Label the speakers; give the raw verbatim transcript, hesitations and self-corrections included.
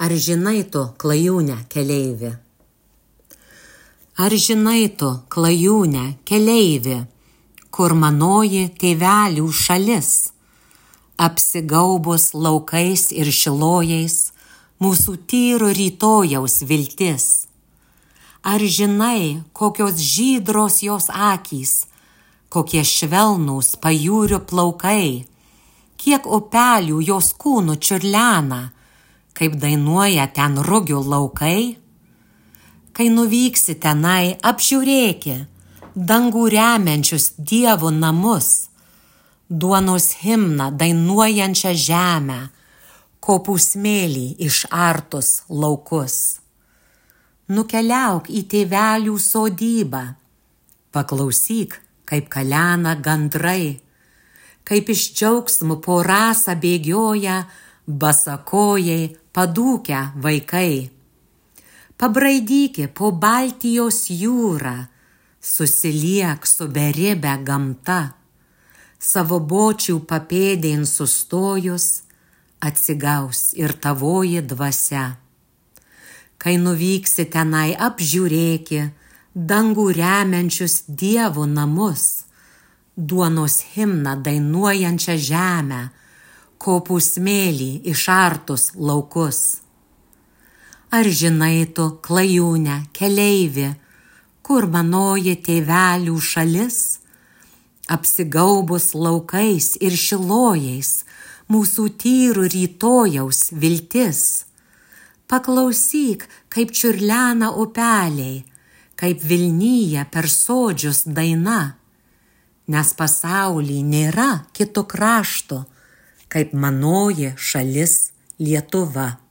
Speaker 1: Ar žinai tu, klajūne, keleivi? Ar žinai tu, klajūne, keleivi, kur manoji tėvelių šalis, apsigaubus laukais ir šilojais, mūsų tyro rytojaus viltis? Ar žinai, kokios žydros jos akys, kokie švelnūs pajūrio plaukai, kiek upelių jos kūnų čiurlena, kaip dainuoja ten rugių laukai? Kai nuvyksi tenai, apžiūrėki dangų remiančius dievų namus, duonos himną dainuojančią žemę, kopų smėlį išartus laukus. Nukeliauk į tėvelių sodybą, paklausyk, kaip kalena gandrai, kaip iš džiaugsmų po rasą bėgioja basakojai padūkę vaikai. Pabraidyki po Baltijos jūrą, susiliek su beribė gamta, savo bočių papėdėn sustojus, atsigaus ir tavoji dvasia. Kai nuvyksi tenai, apžiūrėki dangų remiančius dievų namus, duonos himną dainuojančią žemę, kopų smėlį išartus laukus. Ar žinai tu, klajūne, keleivi, kur manoji tėvelių šalis, apsigaubus laukais ir šilojais, mūsų tyrų rytojaus viltis? Paklausyk, kaip čiurlena upeliai, kaip vilnyja per sodžius daina, nes pasauly nėra kito krašto, kaip manoji šalis Lietuva.